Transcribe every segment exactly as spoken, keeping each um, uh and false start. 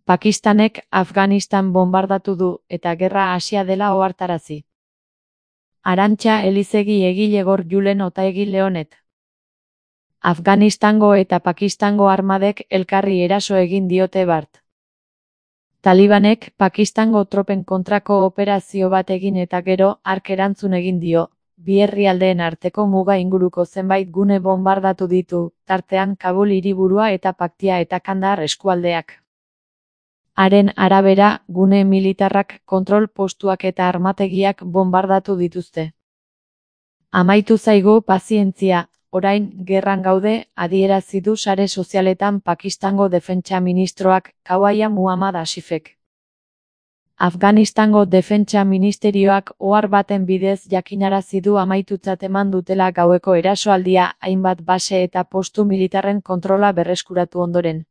Pakistanek Afganistan bonbardatu du eta gerra hasia dela ohartarazi. Arantxa Elizegi egile Gor Julen Otaegi Leonet. Afganistango eta Pakistango armadek elkarri eraso egin diote bart. Talibanek Pakistango tropen kontrako operazio bat egin eta gero hark erantzun egin dio. Bi herrialdeen arteko muga inguruko zenbait gune bonbardatu ditu, tartean Kabul hiriburua eta Paktia eta Kandahar eskualdeak. Haren arabera, gune militarrak, kontrol postuak eta armategiak bonbardatu dituzte. Amaitu zaigu pazientzia, orain gerran gaude, adierazi du sare sozialetan Pakistango defentsa ministroak, Khawaya Muhammad Asifek. Afganistango defentsa ministerioak ohar baten bidez jakinarazi du amaitutzat eman dutela gaueko erasoaldia hainbat base eta postu militarren kontrola berreskuratu ondoren.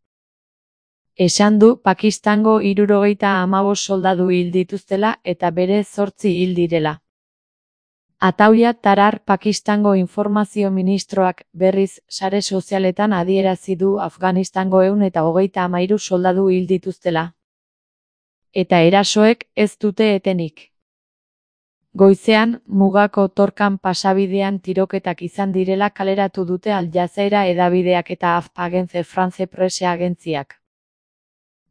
Esan du Pakistango hirurogeita hamabost soldadu hil dituztela eta bere zortzi hil direla. Atauya Tarar Pakistango informazio ministroak berriz sare sozialetan adierazi du Afganistango ehun eta hogeita hamairu soldadu hil dituztela. Eta erasoek ez dute etenik. Goizean, mugako Torkan pasabidean tiroketak izan direla kaleratu dute Al Jazeera hedabideak eta Agence France Presse agentziak.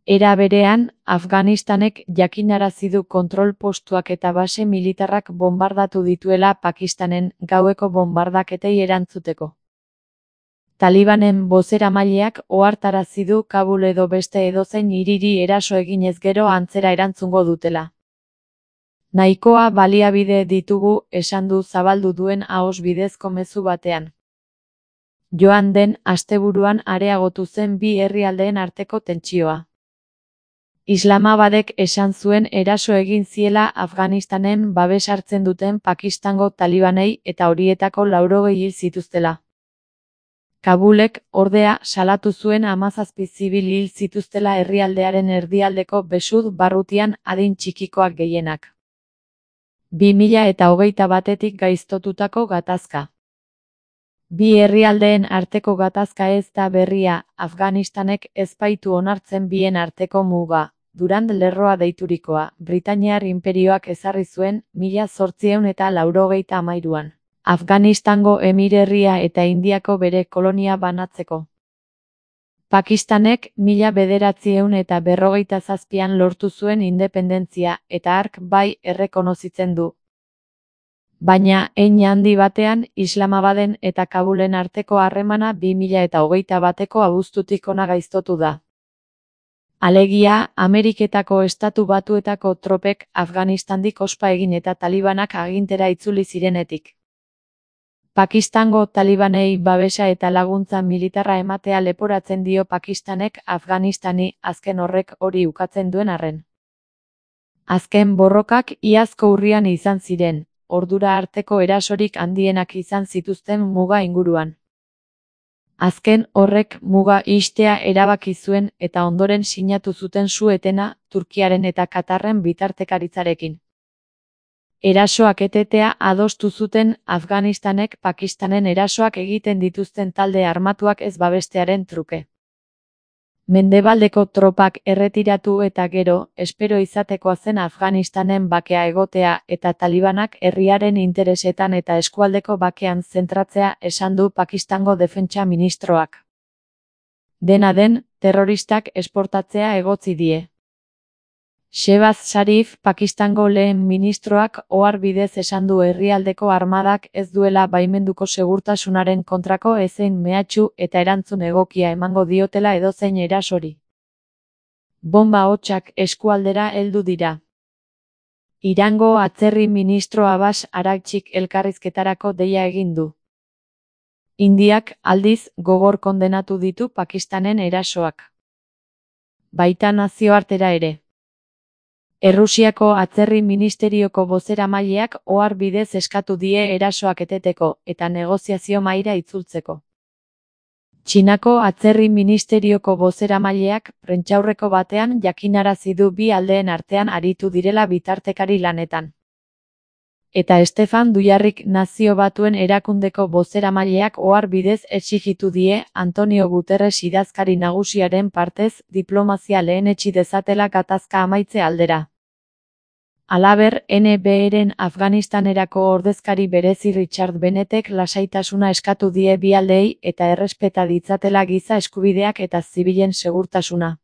Era berean, Afganistanek jakinarazi du kontrol postuak eta base militarrak bonbardatu dituela Pakistanen gaueko bonbardaketei erantzuteko. Talibanen bozeramaileak ohartarazi du Kabul edo beste edozein hiriri eraso eginez gero antzera erantzungo dutela. Nahikoa baliabide ditugu, esan du zabaldu duen ahoz bidezko mezu batean. Joan den asteburuan areagotu zen bi herrialdeen arteko tentsioa. Islamabadek esan zuen eraso egin ziela Afganistanen babes hartzen duten Pakistango talibanei eta horietako laurogei hil zituztela. Kabulek, ordea, salatu zuen hamazazpi zibil hil zituztela herrialdearen erdialdeko Besud barrutian adin txikikoak gehienak. bi mila eta hogeita batetik gaiztotutako gatazka. Bi herrialdeen arteko gatazka ez da berria, Afganistanek ez baitu onartzen bien arteko muga, Durand lerroa deiturikoa, Britainiar inperioak ezarri zuen, mila zortziehun eta laurogeita hamairuan. Afganistango emirerria eta Indiako bere kolonia banatzeko. Pakistanek mila bederatziehun eta berrogeita zazpian lortu zuen independentzia eta hark bai errekonozitzen du. Baina, hein handi batean, Islamabaden eta Kabulen arteko harremana bi mila eta hogeita bateko abuztutik hona gaiztotu da. Alegia, Ameriketako Estatu Batuetako tropek Afganistandik ospa egin eta talibanak agintera itzuli zirenetik. Pakistango talibanei babesa eta laguntza militarra ematea leporatzen dio Pakistanek Afganistani, azken horrek hori ukatzen duen arren. Azken borrokak iazko urrian izan ziren, ordura arteko erasorik handienak izan zituzten muga inguruan. Azken horrek muga ixtea erabaki zuen eta ondoren sinatu zuten su-etena, Turkiaren eta Katarren bitartekaritzarekin. Erasoak etetea adostu zuten Afganistanek Pakistanen erasoak egiten dituzten talde armatuak ez babestearen truke. Mendebaldeko tropak erretiratu eta gero, espero izatekoa zen Afganistanen bakea egotea eta talibanak herriaren interesetan eta eskualdeko bakean zentratzea esan du Pakistango defentsa ministroak. Dena den, terroristak esportatzea egotzi die. Shehbaz Sharif, Pakistango lehen ministroak ohar bidez esan du herrialdeko armadak ez duela baimenduko segurtasunaren kontrako ezein mehatxu eta erantzun egokia emango diotela edozein erasori. Bonba hotsak eskualdera heldu dira. Irango atzerri ministro Abbas Araghchik elkarrizketarako deia egin du. Indiak, aldiz, gogor kondenatu ditu Pakistanen erasoak. Baita nazioartera ere. Errusiako atzerri ministerioko bozeramaileak ohar bidez eskatu die erasoak eteteko eta negoziazio mahaira itzultzeko. Txinako atzerri ministerioko bozeramaileak prentsaurreko batean jakinarazi du bi aldeen artean aritu direla bitartekari lanetan. Eta Stefan Dujarric Nazio Batuen Erakundeko bozeramaileak ohar bidez exijitu die Antonio Guterres idazkari nagusiaren partez diplomazia lehenetsi dezatela gatazka amaitze aldera. Halaber, N B eren Afganistanerako ordezkari berezi Richard Bennettek lasaitasuna eskatu die bi aldeei eta errespeta ditzatela giza eskubideak eta zibilen segurtasuna.